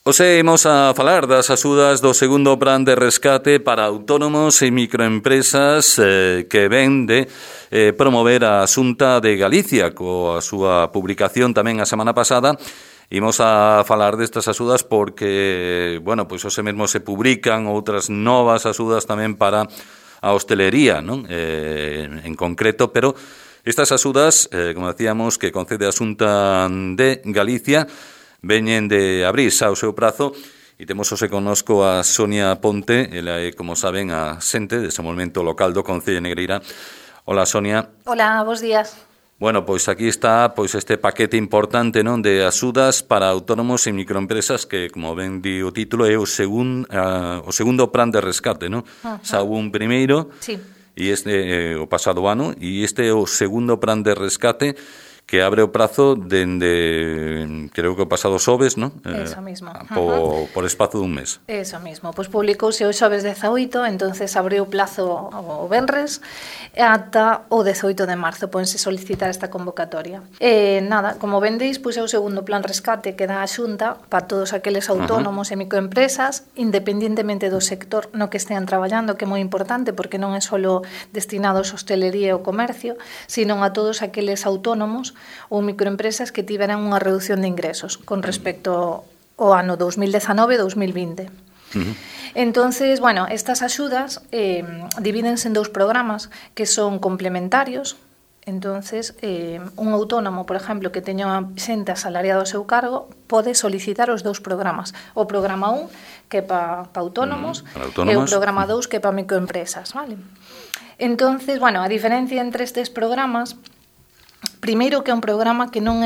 Hoxe imos a falar das axudas do segundo plan de rescate para autónomos e microempresas que ven de promover a Xunta de Galicia coa súa publicación tamén a semana pasada. Imos a falar destas axudas porque, bueno, pois hoxe mesmo se publican outras novas axudas tamén para a hostelería, non? En concreto, pero estas axudas, como decíamos, que concede a Xunta de Galicia, veñen de abrir xa o seu prazo e temos hoxe connosco a Sonia Ponte, ela é, como saben, a xente de desenvolvemento local do Concello de Negreira. Hola, Sonia. Hola, bos días. Bueno, pois aquí está este paquete importante, non, de axudas para autónomos e microempresas que, como ben di o título, é o segundo plan de rescate, non? Xa houve un primeiro, sí, e este o pasado ano, e este é o segundo plan de rescate que abre o prazo dende, creo que o pasado xoves, non? Eso mismo. Por espazo dun mes. Eso mismo. Pois publicouse o xoves 18, entonces abriu o plazo o venres ata o 18 de marzo. Pódense solicitar esta convocatoria. Nada, como vendeis, pois é o segundo plan rescate que dá a Xunta para todos aqueles autónomos e microempresas, independentemente do sector no que estean traballando, que é moi importante, porque non é só destinado a hostelería e o comercio, sino a todos aqueles autónomos ou microempresas que tiveran unha reducción de ingresos con respecto ao ano 2019 e 2020. Entonces, bueno, estas axudas divídense en dous programas que son complementarios. Entonces, un autónomo, por exemplo, que teña xente asalariada ao seu cargo, pode solicitar os dous programas. O programa 1, que é para autónomos, e o programa 2, que é para microempresas, vale? Entonces, bueno, a diferencia entre estes programas, primeiro que é un programa que non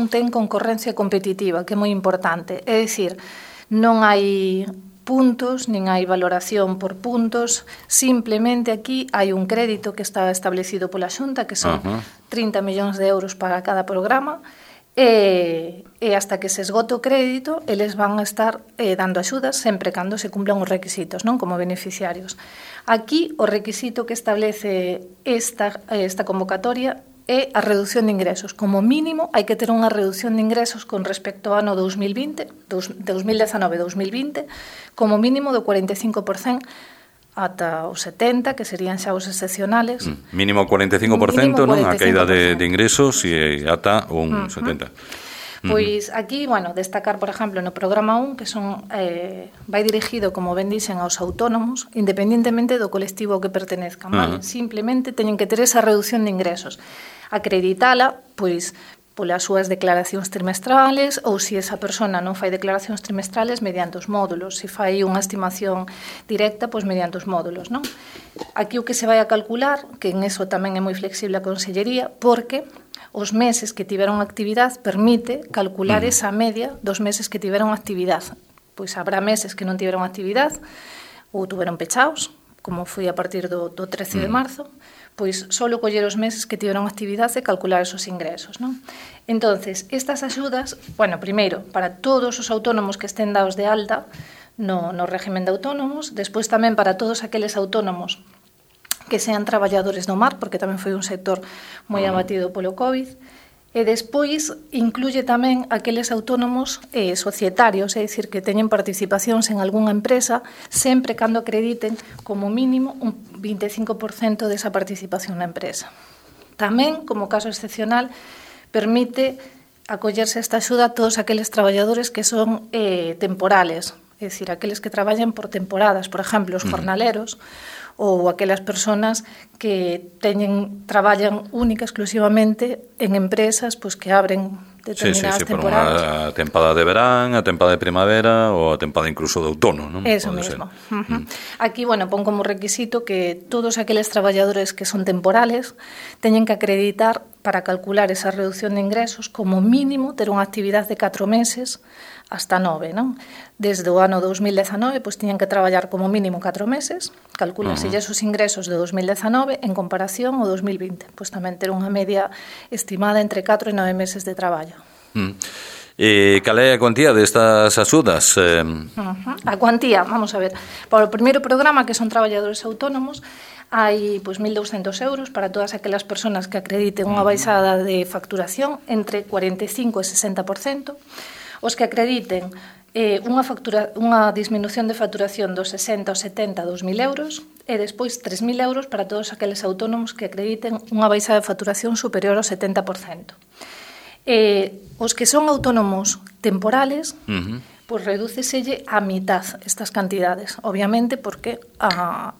ten concorrencia competitiva, que é moi importante. É dicir, non hai puntos, nin hai valoración por puntos, simplemente aquí hai un crédito que está establecido pola Xunta, que son 30 millóns de euros para cada programa, e hasta que se esgote o crédito, eles van a estar dando axudas sempre cando se cumplan os requisitos, non, como beneficiarios. Aquí, o requisito que establece esta convocatoria é a reducción de ingresos. Como mínimo, hai que ter unha reducción de ingresos con respecto ao ano 2019-2020, como mínimo do 45% ata os 70%, que serían xa os excepcionales. Mínimo 45%, non? A caída de ingresos e ata un 70%. Pois aquí, bueno, destacar, por exemplo, no programa 1, que vai dirigido, como ben dixen, aos autónomos, independentemente do colectivo que pertenezcan, vale? Simplemente teñen que ter esa reducción de ingresos. Acreditala, pois, polas súas declaracións trimestrales, ou se esa persona non fai declaracións trimestrales, mediante os módulos. Se fai unha estimación directa, pois mediante os módulos, non? Aquí o que se vai a calcular, que en eso tamén é moi flexible a Consellería, porque os meses que tiveron actividade permite calcular esa media dos meses que tiveron actividade. Pois habrá meses que non tiveron actividade ou tuveron pechaos, como foi a partir do 13 de marzo, pois solo coller os meses que tiveron actividade e calcular esos ingresos, non? Entonces, estas axudas, bueno, primeiro, para todos os autónomos que estén dados de alta no régimen de autónomos, despois tamén para todos aqueles autónomos que sean traballadores do mar, porque tamén foi un sector moi abatido polo COVID, e despois incluye tamén aqueles autónomos societarios, é dicir, que teñen participacións en algunha empresa, sempre cando acrediten como mínimo un 25% desa participación na empresa. Tamén, como caso excepcional, permite acollerse esta axuda a todos aqueles traballadores que son temporales, é dicir, aqueles que traballan por temporadas, por exemplo, os jornaleros, ou aquelas persoas que traballan única exclusivamente en empresas pois que abren determinadas temporadas. Por unha tempada de verán, a tempada de primavera ou a tempada incluso de outono, non? Eso mesmo. Aquí, bueno, pon como requisito que todos aqueles traballadores que son temporales teñen que acreditar para calcular esa reducción de ingresos como mínimo ter unha actividade de 4 meses hasta 9, non? Desde o ano 2019, pois tiñan que traballar como mínimo 4 meses, calcúlense esos ingresos de 2019 en comparación ao 2020, pois tamén ter unha media estimada entre 4 e 9 meses de traballo. E cal é a cuantía destas axudas? A cuantía, vamos a ver, para o primeiro programa, que son traballadores autónomos, hai pois 1.200 euros para todas aquelas persoas que acrediten unha baixada de facturación entre 45 e 60%. Os que acrediten unha disminución de facturación dos 60 aos 70 a 2.000 euros e despois 3.000 euros para todos aqueles autónomos que acrediten unha baixa de facturación superior ao 70%. Os que son autónomos temporales, pois redúceselle a mitad estas cantidades, obviamente porque a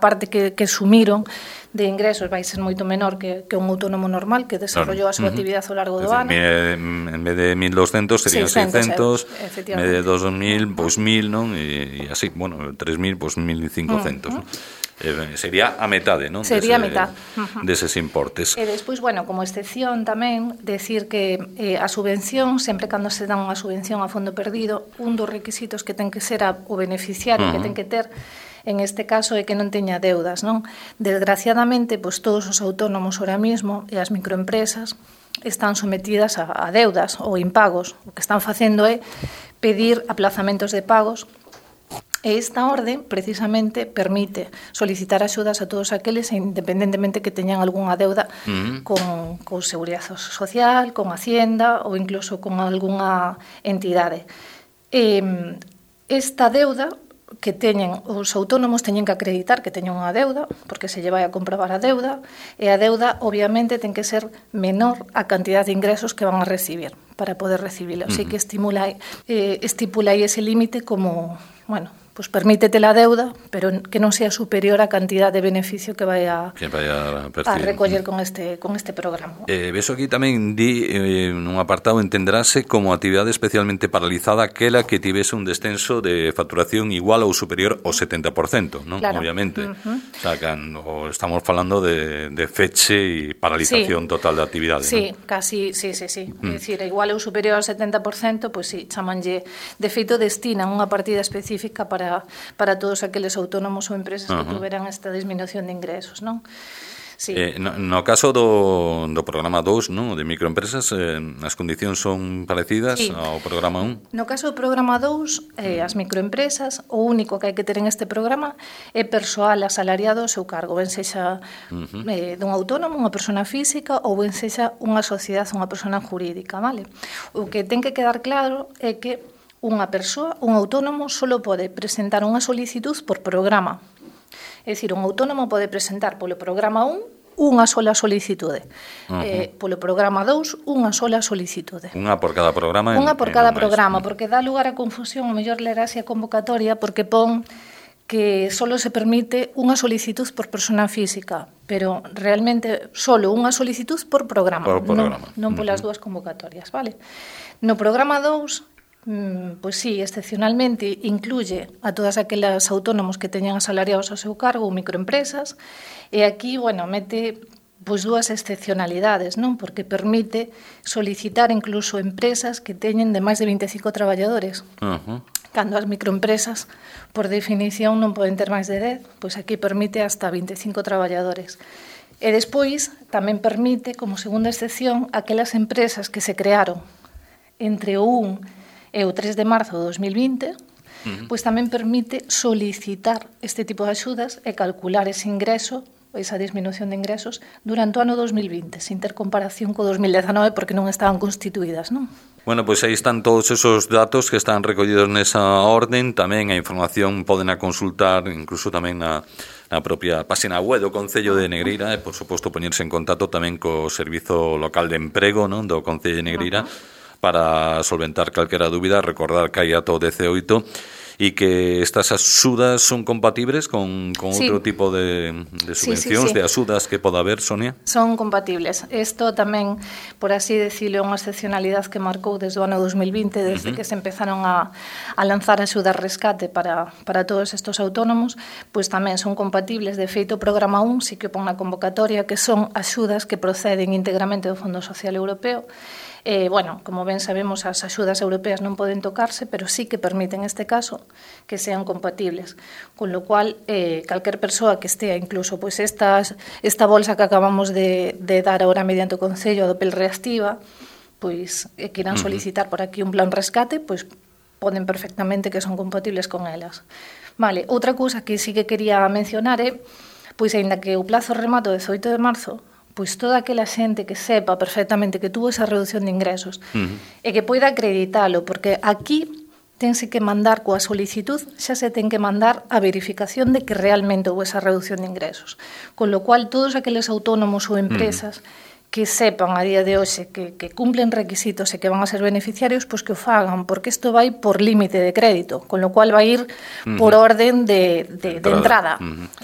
parte que sumiron de ingresos vai ser moito menor que un autónomo normal que desarrollou a súa actividade ao largo do ano. En vez de 1.200 serían 600, en vez de 2.000, pois 1.000, non? E así, bueno, 3.000, pois 1.500, non? Sería a metade, non? Sería a metade. Deses importes. E despois, bueno, como excepción tamén, decir que a subvención, sempre cando se dá unha subvención a fondo perdido, un dos requisitos que ten que ser o beneficiario que ten que ter en este caso é que non teña deudas, non? Desgraciadamente, pois todos os autónomos ahora mismo e as microempresas están sometidas a deudas ou impagos. O que están facendo é pedir aplazamentos de pagos e esta orde precisamente permite solicitar axudas a todos aqueles independentemente que teñan algunha deuda con Seguridade Social, con Hacienda ou incluso con algunha entidade. Esta deuda que teñen os autónomos teñen que acreditar que teñen unha deuda, porque se lle vai a comprobar a deuda, e a deuda obviamente ten que ser menor a cantidad de ingresos que van a recibir para poder recibilo. Así que estipula aí ese límite como, bueno, pues permítete la deuda, pero que non sea superior a cantidad de beneficio que vai a recoller con este programa. Beso aquí tamén di nun apartado entenderase como actividade especialmente paralizada aquela que tivese un descenso de facturación igual ou superior ao 70%, non? Claro. Obviamente. O sea, cando estamos falando de feche e paralización total da actividade. Sí, ¿no? Casi, sí. É dicir, igual ou superior ao 70%, pois sí, chamanlle, de feito destinan unha partida específica para todos aqueles autónomos ou empresas que tuveran esta disminución de ingresos, non? Sí. No caso do programa 2, non, de microempresas, as condicións son parecidas ao programa 1? No caso do programa 2, as microempresas, o único que hai que ter en este programa é persoal asalariado ao seu cargo, ben sexa dun autónomo, unha persona física, ou ben sexa unha sociedade, unha persona jurídica, vale? O que ten que quedar claro é que unha persoa, un autónomo, só pode presentar unha solicitud por programa. É dicir, un autónomo pode presentar polo programa 1 unha sola solicitude. Polo programa 2, unha sola solicitude. Unha por cada programa? Unha por cada programa, porque dá lugar a confusión, o mellor lerase a convocatoria, porque pon que só se permite unha solicitud por persona física, pero realmente só unha solicitud por programa, non polas dúas convocatorias, vale? No programa 2, pois sí, excepcionalmente incluye a todas aquelas autónomos que teñan asalariados ao seu cargo ou microempresas, e aquí, bueno, mete pois dúas excepcionalidades, non? Porque permite solicitar incluso empresas que teñen de máis de 25 traballadores. Cando as microempresas, por definición, non poden ter máis de 10, pois aquí permite hasta 25 traballadores. E despois tamén permite, como segunda excepción, aquelas empresas que se crearon entre o 1 e o 3 de marzo de 2020, pois tamén permite solicitar este tipo de axudas e calcular ese ingreso, esa disminución de ingresos, durante o ano 2020, sin ter comparación co 2019, porque non estaban constituídas, non? Bueno, pois aí están todos esos datos que están recollidos nesa orden, tamén a información poden a consultar, incluso tamén na propia página web do Concello de Negreira, e, por suposto, poñerse en contacto tamén co Servizo Local de Emprego, non, do Concello de Negreira, para solventar calquera dúbida, recordar que hai ato 18 e que estas axudas son compatibles con outro tipo de subvencións, de axudas que poda haber, Sonia? Son compatibles. Isto tamén, por así decirlo, é unha excepcionalidade que marcou desde o ano 2020, desde que se empezaron a lanzar axudas rescate para todos estes autónomos, pois tamén son compatibles. De feito, o programa 1 sí que pon na convocatoria que son axudas que proceden íntegramente do Fondo Social Europeo. Bueno, como ben sabemos, as axudas europeas non poden tocarse, pero sí que permiten, neste caso, que sean compatibles. Con lo cual, calquer persoa que estea, incluso, pois esta bolsa que acabamos de dar agora mediante o Concello do PEL Reactiva, pois que irán solicitar por aquí un plan rescate, pois poden perfectamente que son compatibles con elas. Vale, outra cousa que sí que quería mencionar é, pois, aínda que o plazo remata o 18 de marzo, pois toda aquela xente que sepa perfectamente que tuvo esa reducción de ingresos e que poida acreditalo, porque aquí tense que mandar coa solicitud, xa se ten que mandar a verificación de que realmente houve esa reducción de ingresos. Con lo cual, todos aqueles autónomos ou empresas que sepan a día de hoxe que cumplen requisitos e que van a ser beneficiarios, pois que o fagan, porque isto vai por límite de crédito, con lo cual vai ir por orden de entrada.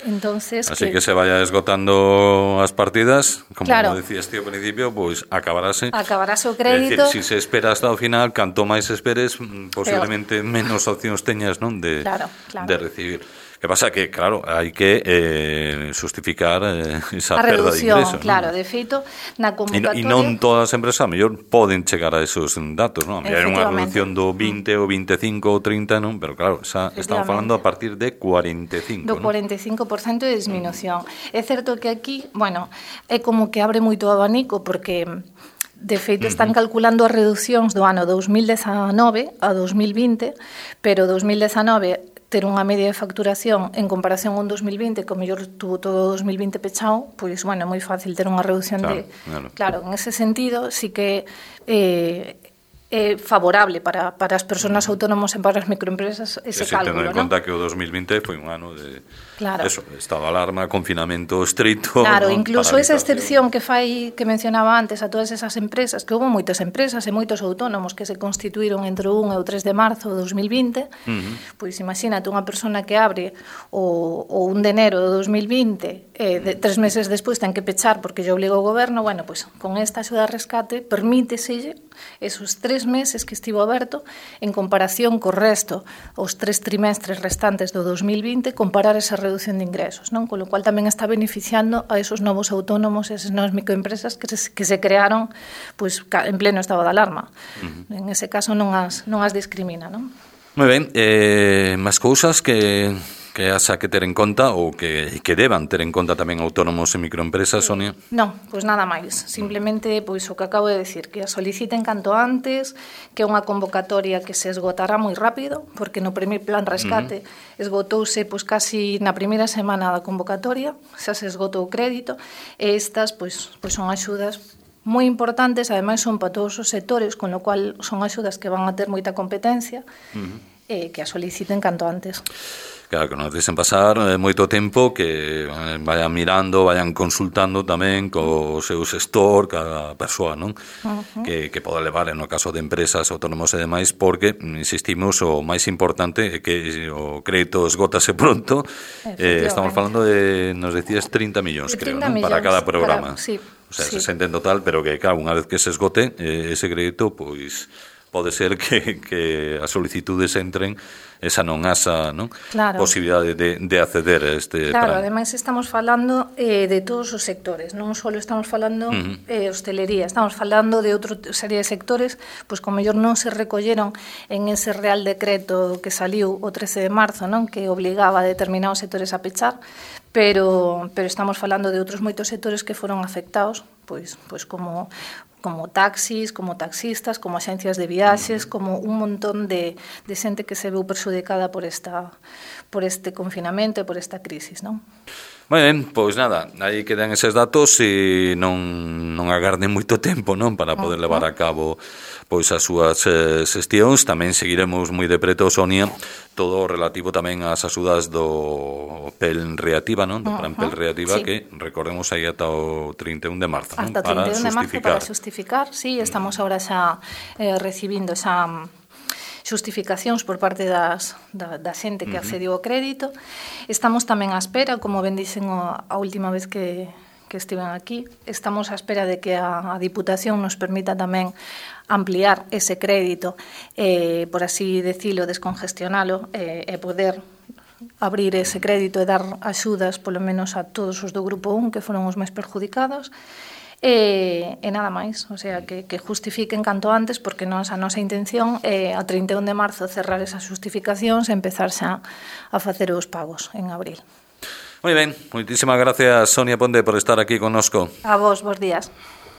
Entonces, así que se vaya esgotando as partidas, como decías ti ao principio, pois acabarase o crédito. É dicir, se se espera hasta o final, canto máis esperes, posiblemente menos opcións teñas, non, de recibir. Que pasa que, claro, hai que justificar esa perda de ingresos. Claro, de feito, na convocatoria... E non todas as empresas, a mellor, poden chegar a esos datos, non? A mellor hai unha reducción do 20 ou 25 ou 30, non? Pero claro, xa estamos falando a partir de 45, do 45% de disminución. É certo que aquí, bueno, é como que abre moito o abanico, porque... De feito, están calculando as reducións do ano 2019 a 2020, pero 2019 ter unha media de facturación en comparación con 2020, que o mellor tuvo todo 2020 pechado, pois, bueno, é moi fácil ter unha reducción Claro, en ese sentido, sí que é favorable para as persoas autónomas e para as microempresas ese cálculo, tendo en conta que o 2020 foi un ano de estado de alarma, confinamento estricto. Claro, incluso esa excepción que mencionaba antes a todas esas empresas, que houve moitas empresas e moitos autónomos que se constituíron entre o 1 e o 3 de marzo de 2020, pois imagínate unha persona que abre o 1 de enero de 2020 3 meses despois ten que pechar porque lle obliga o goberno, bueno, pois con esta axuda de rescate permíteselle esos 3 meses que estivo aberto en comparación co resto, os 3 trimestres restantes do 2020, comparar esa reducción de ingresos, non? Con lo cual tamén está beneficiando a esos novos autónomos, esas novas microempresas que se crearon pois, en pleno estado de alarma. En ese caso non as discrimina, non? Moi ben, máis cousas que haxa que ter en conta ou que deban ter en conta tamén autónomos e microempresas, Sonia? Non, pois nada máis. Simplemente pois o que acabo de decir, que a soliciten canto antes, que é unha convocatoria que se esgotará moi rápido, porque no primer plan rescate esgotouse pois casi na primeira semana da convocatoria, xa se esgotou o crédito, e estas pois son axudas moi importantes, ademais son para todos os sectores, con lo cual son axudas que van a ter moita competencia, e que a soliciten canto antes. Claro, que non deixen pasar moito tempo, que vayan mirando, vayan consultando tamén co seu xestor, cada persoa, non? Que pode levar, no caso de empresas, autónomos e demais, porque, insistimos, o máis importante é que o crédito esgótase pronto. Estamos falando de, nos decías, 30 millóns, creo, non? Para cada programa. Sí. O sea, 60 en total, pero que, claro, unha vez que se esgote ese crédito, pois pode ser que as solicitudes entren esa non asa, non? Posibilidade de acceder a este plan. Claro, ademais estamos falando de todos os sectores, non só estamos falando hostelería, estamos falando de outra serie de sectores, pois como mellor non se recolleron en ese Real Decreto que saliu o 13 de marzo, non? Que obligaba a determinados sectores a pechar, pero estamos falando de outros moitos sectores que foron afectados, pois como taxis, como taxistas, como axencias de viaxes, como un montón de xente que se veu perxudicada por este confinamento e por esta crisis, non? Moi ben, pois nada, aí quedan eses datos e non agarden moito tempo, non, para poder levar a cabo pois as súas xestións. Tamén seguiremos moi de preto, Sonia, todo relativo tamén ás axudas do PEL Reactiva, non? Do Plan PEL Reactiva, que recordemos aí ata o 31 de marzo, non? Hasta o 31 de marzo para xustificar, sí, estamos agora xa recibindo xa xustificacións por parte da xente que accediu ao crédito. Estamos tamén á espera, como ben dixen a última vez que estiven aquí, estamos á espera de que a Diputación nos permita tamén ampliar ese crédito, por así decirlo, descongestionalo, e poder abrir ese crédito e dar axudas, polo menos a todos os do Grupo 1, que foron os máis perjudicados, e nada máis, o sea, que justifiquen canto antes, porque a nosa intención é a 31 de marzo cerrar esas justificacións e empezar xa a facer os pagos en abril. Moi ben, moitísimas gracias, Sonia Ponte, por estar aquí connosco. A vos, bons días.